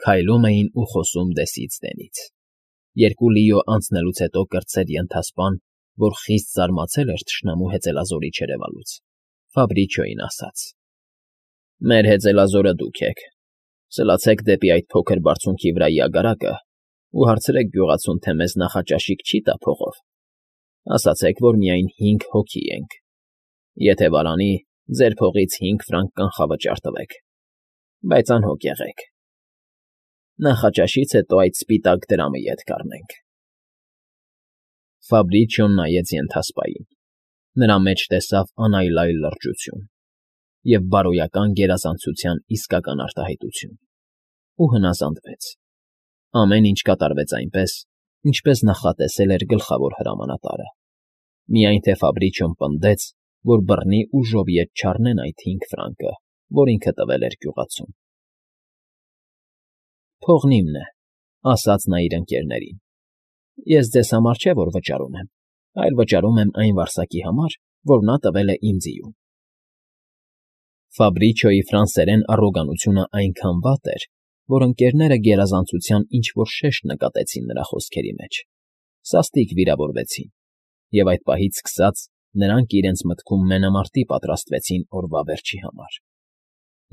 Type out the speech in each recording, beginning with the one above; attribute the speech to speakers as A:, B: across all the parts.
A: Քայլում էին ու խոսում դեսից դենից։ Երկու լիո անցնելուց հետո կրտսեր ենթասպան, որ խիստ զարմացել էր թշնամու հեծելազորի չերևալուց, Ֆաբրիչոյին ասաց. «Մեր հեծելազորը դուք եք։ Սլացեք դեպի այդ փոքր բարձունքի վրայի ագարակը ու հարցրեք գյուղացուն, թե մեզ նախաճաշիկ չի տա փողով։ Ասացեք, որ միայն 5 հոգի ենք։ Եթե վարանի, ձեր փողից 5 ֆրանկ կանխավճար տվեք, բայց անհոգ եղեք։ Նախաճաշից հետո այդ սպիտակ դրամը ետ կառնենք»։ Ֆաբրիչոն նայեց ենթասպային։ Նրա մեջ տեսավ անայլայլ լրջություն և բարոյական գերազանցության իսկական արտահայտություն ու հնազանդվեց։ Ամեն ինչ կատարվեց այնպես, ինչպես նախատեսել էր գլխավոր հրամանատարը, միայն թե Ֆաբրիչոն պնդեց, որ բռնի ուժով ետ չառնեն այդ 5 ֆրանկը, որ ինքը տվել էր գյուղացուն։ «Փողն իմն է», ասաց նա իր ընկերներին։ «Ես ձեզ համար չէ, որ վճարում եմ, այլ վճարում եմ այն վարսակի համար, որ նա տվել է իմ ձիուն»։ Ֆաբրիչոյի ֆրանսերեն առոգանությունը այնքան վատ էր, որ ընկերները գերազանցության ինչ֊որ շեշտ նկատեցին նրա խոսքերի մեջ, սաստիկ վիրավորվեցին, և այդ պահից սկսած նրանք իրենց մտքում մենամարտի պատրաստվեցին օրվա վերջի համար։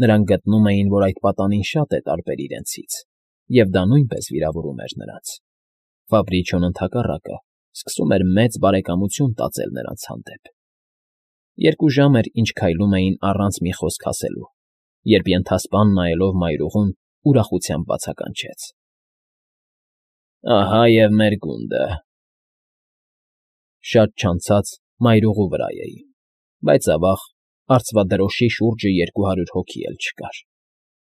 A: Նրանք գտնում էին, որ այդ պատանին շատ է տարբեր իրենցից, և դա նույնպես վիրավորում էր նրանց։ Ֆաբրիչոն, ընդհակառակը, սկսում էր մեծ բարեկամություն տածել նրանց հանդեպ։ 2 ժամ էր, ինչ քայլում էին առանց մի խոսք ասելու, երբ ենթասպան նայելով մայրուղուն ուրախությամբ բացականչեց. «Ահա և մեր գունդը»։ Շատ չանցած մայրուղու վրա էին, բայց ավաղ արծվադրոշի շուրջը 200 հոգի էլ չկար։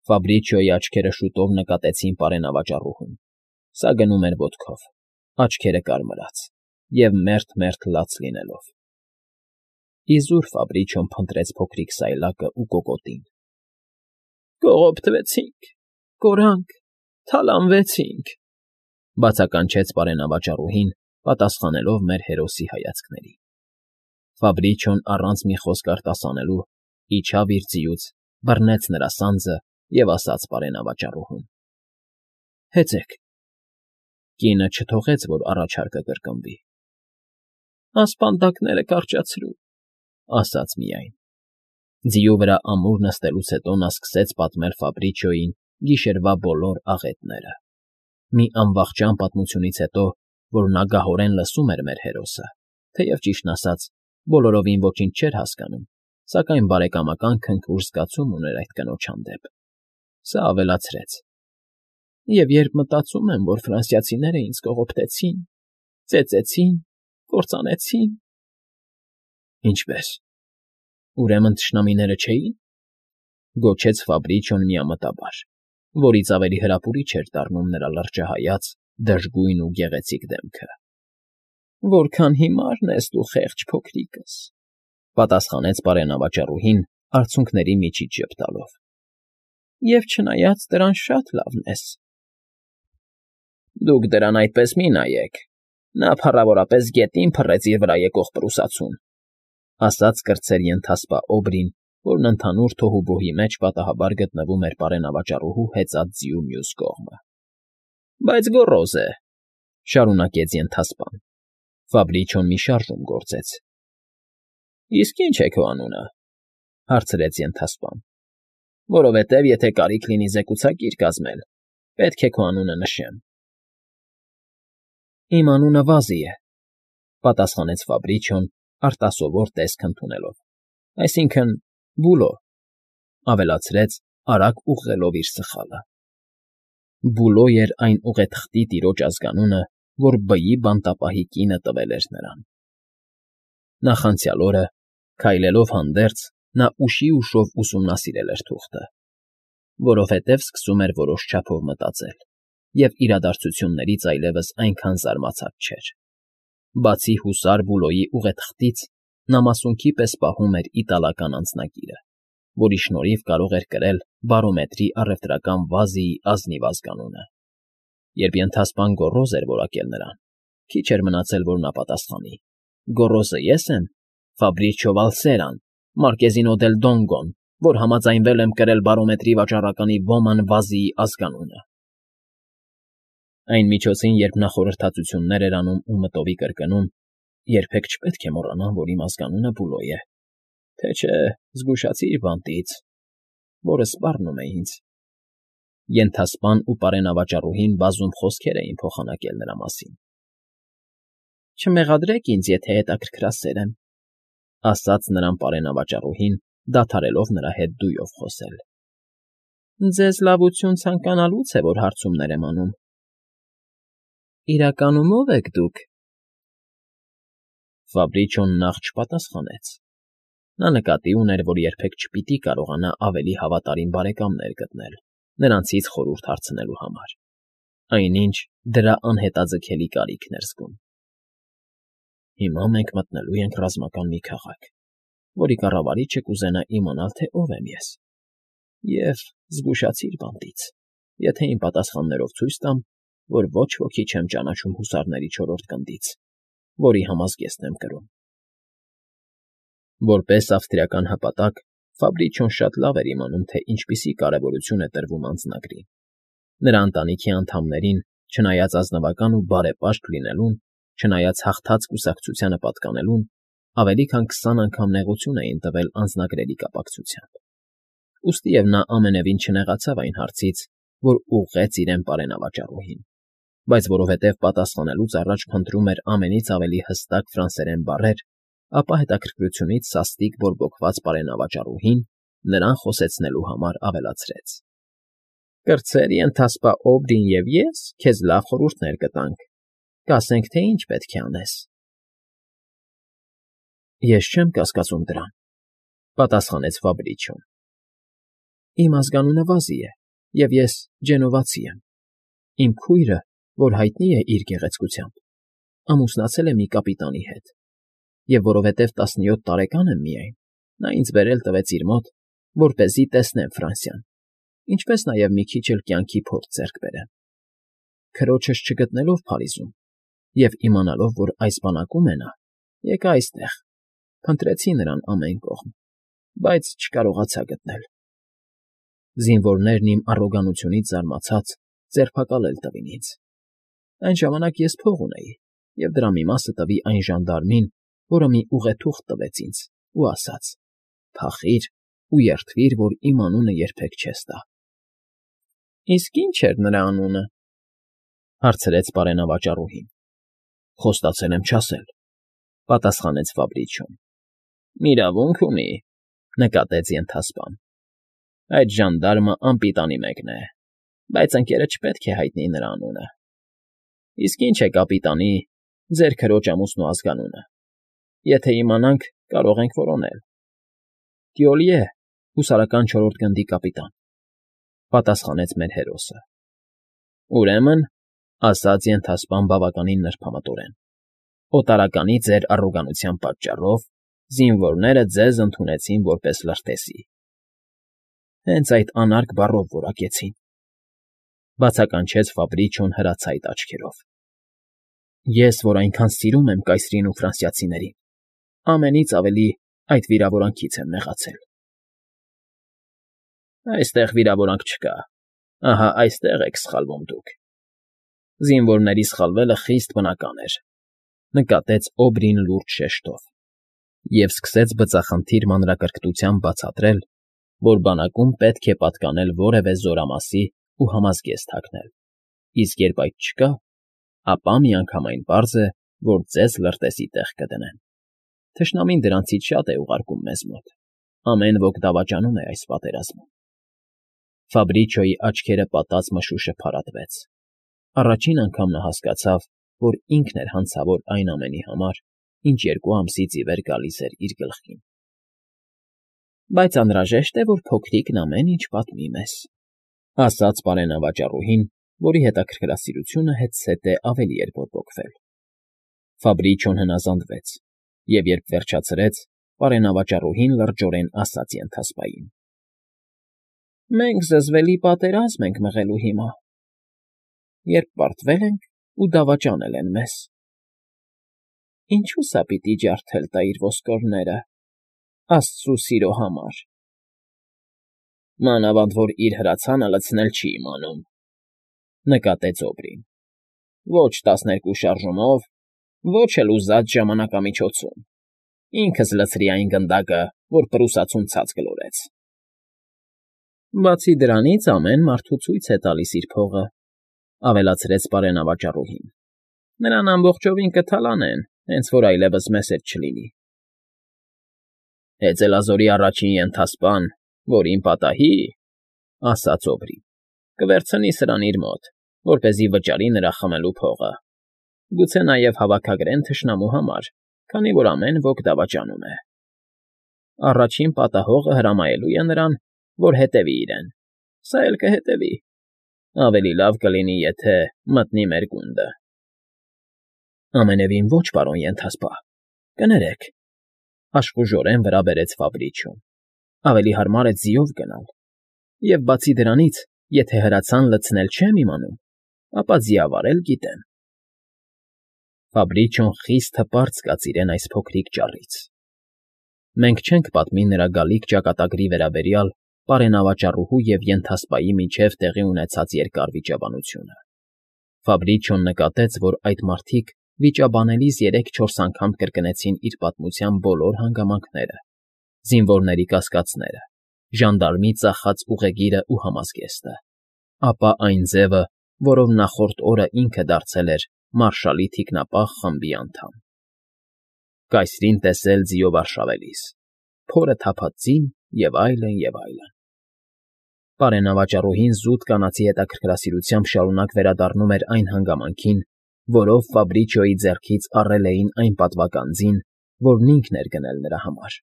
A: Ֆաբրիչոյի աչքերը շուտով նկատեցին պարենավաճառուհուն. սա գնում էր ոտքով, աչքերը կարմրած և մերթ լաց լինելով։ Իզուր Ֆաբրիչոն փնտրեց փոքրիկ սայլակը ու կոկոտին։ «Կողոպտվեցինք, կորանք, թալանվեցինք», բացականչեց պարենավաճառուհին, պատասխանելով մեր հերոսի հայացքներին։ Ֆաբրիչոն առանց մի խոսք արտասանելու իջավ իր ձիուց, բռնեց նրա սանձը և ասաց պարենավաճառուհուն. «Հեծեք»։ Կինը չթողեց, որ առաջարկը կրկնվի։ «Ասպանդակները կարճացրու», ասաց միայն։ Ձիու վրա ամուր նստելուց հետո նա սկսեց պատմել Ֆաբրիչոյին գիշերվա բոլոր աղետները։ Մի անվախճան պատմությունից հետո, որ նա գահորեն լսում էր մեր հերոսը, թեև, ճիշտն ասած, բոլորովին ոչինչ չէր հասկանում, սակայն բարեկամական քնքուշ զգացում ուներ այդ կնոջ հանդեպ, սա ավելացրեց. «Եվ երբ մտածում եմ, որ ֆրանսիացիները ինձ կողոպտեցին, ծեծեցին, կործանեցին»։ «Ինչպե՞ս, ուրեմն թշնամիները չէի՞ն», գոչեց Ֆաբրիչոն միամտաբար, որից ավելի հրապուրիչ էր դառնում նրա լրջահայաց, դժգույն ու գեղեցիկ դեմքը։ «Որքան հիմարն ես դու, խեղճ փոքրիկս», պատասխանեց պարենավաճառուհին, արցունքների միջից ժպտալով։ «Եվ չնայած դրան շատ լավն ես»։ «Դուք դրան այդպես մի նայեք, նա փառավորապես գետին փռեց իր վրա եկող պրուսացուն», ասաց կրտսեր ենթասպա Օբրին, որն ընդհանուր թոհուբոհի մեջ պատահաբար գտնվում էր պարենավաճառուհու հեծած ձիու մյուս կողմը։ «Բայց գոռոզ է», շարունակեց ենթասպան։ Ֆաբրիչոն մի շարժում գործեց։ «Իսկ ի՞նչ է քո անունը», հարցրեց ենթասպան։ «Որովհետև եթե կարիք լինի զեկուցակիր կազմել, պետք է քո անունը նշեմ»։ «Իմ անունը Վազի է», պատասխանեց Ֆաբրիչոն արտասովոր տեսք ընդունելով, «այսինքն՝ Բուլո», ավելացրեց, արագ ուղղելով իր սխալը։ Բուլո էր այն ուղեթղթի տիրոջ ազգանունը, որ բյի բանտապահի կինը տվել էր նրան։ Նախանցյալ օրը, քայլելով հանդերձ, նա ուշիուշով ուսումնասիրել էր թուղթը, որովհետև սկսում էր որոշ չափով մտածել և իրադարձություններից այլևս այնքան զարմացած չէր։ Բացի հուսար Բուլոյի ուղեթղթից, նա մասունքի պես պահում էր իտալական անձնագիրը, որի շնորհիվ կարող էր կրել բարոմետրի առևտրական Վազիի ազնիվ ազգանունը։ Երբ ենթասպան գոռոզ էր որակել նրան, քիչ էր մնացել, որ նա պատասխանի. «Գոռոզը ես եմ, Ֆաբրիչո Վալսերան, Մարկեզինո դել Դոնգոն, որ համաձայնվել եմ կրել բարոմետրի վաճառականի Ոման Վազիի ազգանունը»։ Այն միջոցին, երբ նա խորհրդածություններ էր անում ու մտովի կրկնում, երբեք չպետք է մոռանան, որ իմ ազգանունը Բուլոյ է, թե չէ զգուշացիր բանտից, որը սպառնում է ինձ։ Ենթասպան ու պարենավաճառուհին բազում խոսքեր էին փոխանակել նրա մասին։ Չմեղադրեք ինձ, եթե հետաքրքրասեր եմ, ասաց նրան պարենավաճառուհին, դադարելով նրա հետ դույով խոսել։ Ձեզ լավություն ցանկանալուց է, որ հարցումներ եմ անում։ Իրականում ո՞վ եք դուք։ Ֆաբրիչոն նախ չպատասխանեց։ Նա նկատի ուներ, որ երբեք չպիտի կարողանա ավելի հավատարիմ բարեկամներ գտնել, նրանցից խորհուրդ հարցնելու համար, այնինչ դրա անհետաձգելի կարիքն էր զգում։ Հիմա մենք մտնելու ենք ռազմական մի քաղաք, որի կառավարիչը կուզենա իմանալ, թե ով եմ ես։ Եվ զգուշացիր բանտից, եթե իմ պատասխաններով ցույց տամ, որ ոչ ոքի չեմ ճանաչում հուսարների 4-րդ գնդից, որի համազգեստն եմ կրում։ Որպես ավստրիական հպատակ, Ֆաբրիչոն շատ լավ էր իմանում, թե ինչպիսի կարևորություն է տրվում անձնագրին։ Նրա ընտանիքի անդամներին, չնայած ազնվական ու բարեպաշտ լինելուն, չնայած հաղթած կուսակցությանը պատկանելուն, ավելի քան 20 անգամ նեղություն էին տվել անձնագրերի կապակցությամբ։ Ուստիև նա ամենևին չնեղացավ այն հարցից, որ ուղղեց իրեն պարենավաճառուհին, բայց որովհետև պատասխանելուց առաջ փնտրում էր ամենից ավելի հստակ ֆրանսերեն բառեր, ապա հետաքրքրությունից սաստիկ բորբոքված պարենավաճառուհին նրան խոսեցնելու համար ավելացրեց. Կրծեր ենթասպա Օբրին և ես քեզ լավ խորհուրդներ կտանք, կասենք, թե ինչ պետք է անես։ Ես չեմ կասկածում դրան, պատասխանեց Ֆաբրիչոն։ Իմ ազգանունը Վազի է, և ես ջենովացի եմ։ Իմ քույրը, որ հայտնի է իր գեղեցկությամբ, ամուսնացել է մի կապիտանի հետ, և որովհետև 17 տարեկան եմ միայն, նա ինձ բերել տվեց իր մոտ, որպեսզի տեսնեմ Ֆրանսիան, ինչպես նաև մի քիչ էլ կյանքի փորձ ձեռք բերեմ։ Քրոջս չգտնելով Փարիզում և իմանալով, որ այս բանակում է նա, եկա այստեղ, փնտրեցի նրան ամեն կողմ, բայց չկարողացա գտնել։ Զինվորներն իմ առոգանությունից զարմացած ձերբակալել տվին ինձ։ Այն ժամանակ ես փող ունեի, և դրա մի մասը տվի այն ժանդարմին, որը մի ուղեթուղթ տվեց ինձ ու ասաց. «Փախիր ու երդվիր, որ իմ անունը երբեք չես տա»։ Իսկ ի՞նչ էր նրա անունը, հարցրեց պարենավաճառուհին։ Խոստացել եմ չասել, պատասխանեց Ֆաբրիչոն։ Իրավունք ունի, նկատեց ենթասպան։ Այդ ժանդարմը անպիտանի մեկն է, բայց ընկերը չպետք է հայտնի նրա անունը։ Իսկ ինչ է կապիտանի, ձեր քրոջ ամուսնու ազգանունը։ Եթե իմանանք, կարող ենք որոնել։ Տյոլիե, հուսարական 4-րդ գնդի կապիտան, պատասխանեց մեր հերոսը։ Ուրեմն, ասաց ենթասպան բավականին նրբամտորեն, օտարականի ձեր առոգանության պատճառով զինվորները ձեզ ընդունեցին որպես լրտեսի։ Հենց այդ անարգ բառով որակեցին, բացականչեց Ֆաբրիչոն հրացայտ աչքերով։ Ես, որ այնքան սիրում եմ կայսրին ու ֆրանսիացիներին, ամենից ավելի այդ վիրավորանքից եմ նեղացել։ Այստեղ վիրավորանք չկա, ահա այստեղ եք սխալվում դուք։ Զինվորների սխալվելը խիստ բնական էր, նկատեց Օբրին լուրջ շեշտով, և սկսեց բծախնդիր մանրակրկտությամբ բացատրել, որ բանակում պետք է պատկանել որևէ զորամասի ու համազգեստ հագնել, իսկ երբ այդ չկա, ապա միանգամայն պարզ է, որ ձեզ լրտեսի տեղ կդնեն։ Թշնամին դրանցից շատ է ուղարկում մեզ մոտ, ամեն ոք դավաճանում է այս պատերազմում։ Ֆաբրիչոյի աչքերը պատած մշուշը փարատվեց։ Առաջին անգամ նա հասկացավ, որ ինքն էր հանցավոր այն ամենի համար, ինչ 2 ամսից ի վեր գալիս էր իր գլխին։ Բայց անհրաժեշտ է, որ փոքրիկն ամեն ինչ պատմի մեզ, ասաց պարենավաճառուհին, որի հետաքրքրասիրությունը հետզհետե ավելի էր բորբոքվել։ Ֆաբրիչոն հնազանդվեց, և երբ վերջացրեց, պարենավաճառուհին լրջորեն ասաց ենթասպային. Մենք զզվելի պատերազմ ենք մղելու հիմա, երբ պարտվել ենք ու դավաճանել են մեզ։ Ինչու՞ սա պիտի ջարդել տա իր ոսկորները, աստծու սիրո համար։ Մանավանդ որ իր հրացանը լցնել չի իմանում, նկատեց Օբրին։ ոչ 12 շարժումով, ոչ էլ ուզած ժամանակամիջոցում։ Ինքս լցրի այն գնդակը, որ պրուսացուն ցած գլորեց։ Բացի դրանից ամեն մարդու ցույց է տալիս իր փողը, ավելացրեց պարենավաճառուհին։ Նրան ամբողջովին կթալանեն, հենց որ այլևս մեզ հետ չլինի։ Հեծելազորի առաջին ենթասպան, որին պատահի, ասաց Օբրին, կվերցնի սրան իր մոտ, որպեսզի վճարի նրա խմելու փողը։ Գուցե նաև հավաքագրեն թշնամու համար, քանի որ ամեն ոք դավաճանում է։ Առաջին պատահողը հրամայելու է նրան, որ հետևի իրեն։ Սա էլ կհետևի։ Ավելի լավ կլինի, եթե մտնի մեր գունդը։ Ամենևին ոչ, պարոն ենթասպա, կներեք, աշխուժորեն վրա բերեց Ֆաբրիչոն։ Ավելի հարմար է ձիով գնալ։ Եվ բացի դրանից, եթե հրացան լցնել չեմ իմանում, ապա ձիավարել գիտեմ։ Ֆաբրիչոն խիստ հպարտ զգաց իրեն այս փոքրիկ ճառից։ Մենք չենք պատմի նրա գալիք ճակատագրի վերաբերյալ պարենավաճառուհու և ենթասպայի միջև տեղի ունեցած երկար վիճաբանությունը։ Ֆաբրիչոն նկատեց, որ այդ մարդիկ վիճաբանելիս 3-4 անգամ կրկնեցին իր պատմության բոլոր հանգամանքները, զինվորների կասկածները, ժանդարմի ծախած ուղեգիրը ու համազգեստը, ապա այն ձևը, որով նախորդ օրը ինքը դարձել էր մարշալի թիկնապահ խմբի անդամ։ Կայսրին տեսել ձիով արշավելիս, փորը թափած ձին և այլն, և այլն։ Պարենավաճառուհին զուտ կանացի հետաքրքրասիրությամբ շարունակ վերադառնում էր այն հանգամանքին, որով Ֆաբրիչոյի ձեռքից առել էին այն պատվական ձին, որն ինքն էր գնել նրա համար։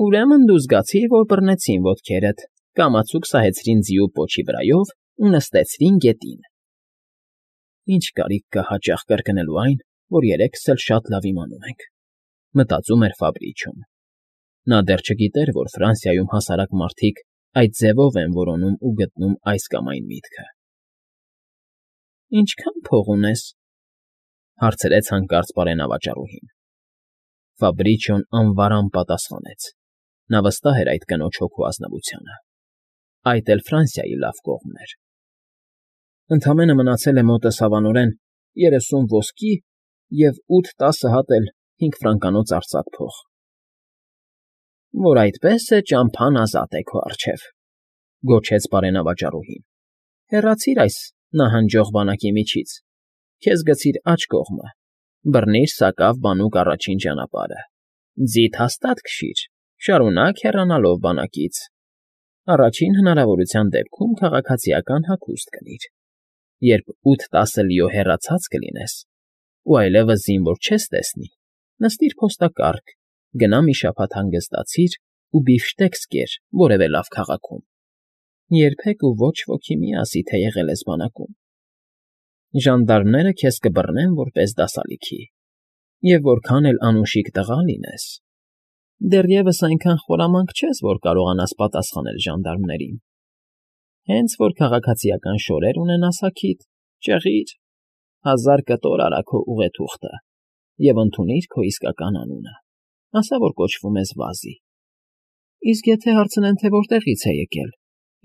A: Ուրեմն դու զգացիր, որ բռնեցին ոտքերդ, կամացուկ սահեցրին ձիու պոչի վրայով ու նստեցրին գետին։ Ինչ կարիք կա հաճախ կրկնելու այն, որ երեքս էլ շատ լավ իմանում ենք, մտածում էր Ֆաբրիչոն։ Նա դեռ չգիտեր, որ Ֆրանսիայում հասարակ մարդիկ այդ ձևով են որոնում ու գտնում այս կամ այն միտքը։ Ինչքա՞ն փող ունես, հարցրեց հանկարծ պարենավաճառուհին։ Ֆաբրիչոն անվարամ պատասխանեց։ Նա վստահ էր այդ կնոջ հոգու ազնվությանը։ Այդ էլ Ֆրանսիայի լավ կողմն էր։ Ընդամենը մնացել է մոտս հավանորեն 30 ոսկի և 8-10 հատ էլ 5 ֆրանկանոց արծաթ փող։ Որ այդպես է, ճամփան ազատ է քո առջև, գոչեց պարենավաճառուհին։ Հեռացիր այս նահանջող բանակի միջից, քեզ գցիր աջ կողմը, բռնիր սակավ բանուկ առաջին ճանապարհը, ձիթ հաստատ քշիր, շարունակ հեռանալով բանակից։ Առաջին հնարավորության դեպքում քաղաքացիական հագուստ կնիր։ Երբ 8-10 լիո հեռացած կլինես, ու այլևս զինվոր չես տեսնի, նստիր փոստակառք, գնա մի շաբաթ հանգստացիր ու բիֆշտեքս կեր որևէ լավ քաղաքում։ Երբեք ու ոչ ոքի մի ասի, թե եղել ես բանակում։ Ժանդարմները քեզ կբռնեն որպես դասալիքի, և որքան էլ անուշիկ տղա լինես, դեռևս այնքան խորամանկ չես, որ կարողանաս պատասխանել ժանդարմներին։ Հենց որ քաղաքացիական շորեր ունենաս հագիդ, ճեղիր, 1000 կտոր արա քո ուղեթուղթը և ընդունիր քո իսկական անունը, ասա, որ կոչվում ես Վազի։ Իսկ եթե հարցնեն, թե որտեղից է եկել,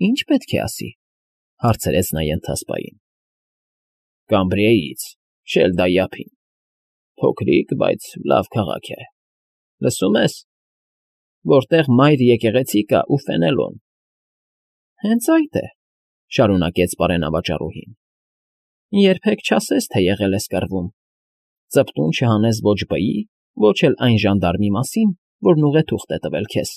A: ի՞նչ պետք է ասի, հարցրեց նա ենթասպային։ Կամբրիեից, Շելդայափին, փոքրիկ, բայց լավ քաղաք է, լսում ես, որտեղ մայր եկեղեցի կա ու Ֆենելոն։ Հենց այդ է, շարունակեց պարենավաճառուհին։ Երբեք չասես, թե եղել ես կռվում, ծպտուն չհանես ոչ բայի, ոչ էլ այն ժանդարմի մասին, որն ուղեթուղթ է տվել քեզ։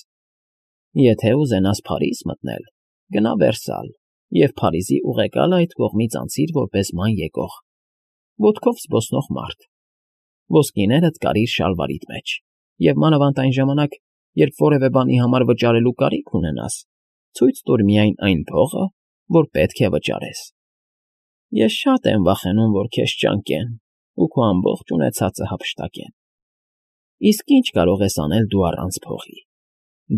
A: Եթե ուզենաս Փարիզ մտնել, գնա Վերսալ և Փարիզի ուղեկալը այդ կողմից անցիր որպես ման եկող, ոտքով զբոսնող մարդ, ոսկիներդ կարիր շալվարիդ մեջ, և մանավանդ այն ժամանակ, երբ որևէ բանի համար վճարելու կարիք ունենաս, ցույց տուր միայն այն փողը, որ պետք է վճարես։ Ես շատ եմ վախենում, որ քեզ ճանկեն ու քո ամբողջ ունեցածը հափշտակեն։ Իսկ ի՞նչ կարող ես անել դու առանց փողի,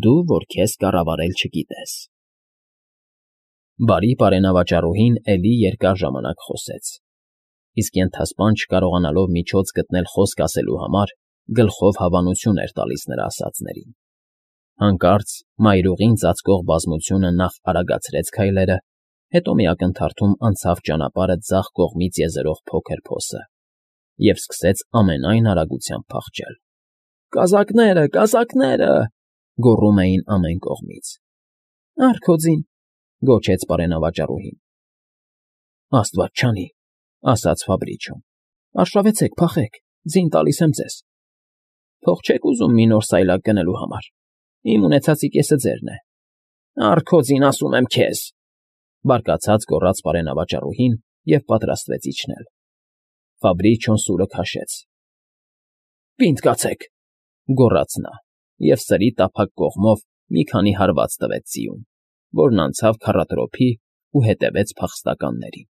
A: դու, որ քեզ կառավարել չգիտես։ Բարի պարենավաճառուհին էլի երկար ժամանակ խոսեց, իսկ ենթասպան չկարողանալով միջոց գտնել խոսք ասելու համար, գլխով հավանություն էր տալիս նրա ասածներին։ Հանկարծ մայրուղին ծածկող բազմությունը նախ արագացրեց քայլերը Հետո մի ակնթարթում անցավ ճանապարհը ձախ կողմից եզերող փոքր փոսը և սկսեց ամենայն արագությամբ փախչել։ «Կազակները, կազակները…» գոռում էին ամեն կողմից։ «Առ քո ձին…֊ գոչեց պարենավաճառուհին։ ֊ Աստված չանի…֊ ասաց Ֆաբրիչոն։ ֊ Արշավեցեք, փախեք, ձին տալիս եմ ձեզ։ ֊ Փող չեք ուզում մի նոր սայլակ գնելու համար… Իմ ունեցածի կեսը ձերն է։ ֊ Առ քո ձին, ասում եմ քեզ…֊ բարկացած գոռաց պարենավաճառուհին և պատրաստվեց իջնել։ Ֆաբրիչոն սուրը քաշեց։ ֊ Պինդ կացեք…֊ գոռաց նա և սրի տափակ կողմով մի քանի հարված տվեց ձիուն, որն անցավ քառատրոփի ու հետևեց փախստականներին։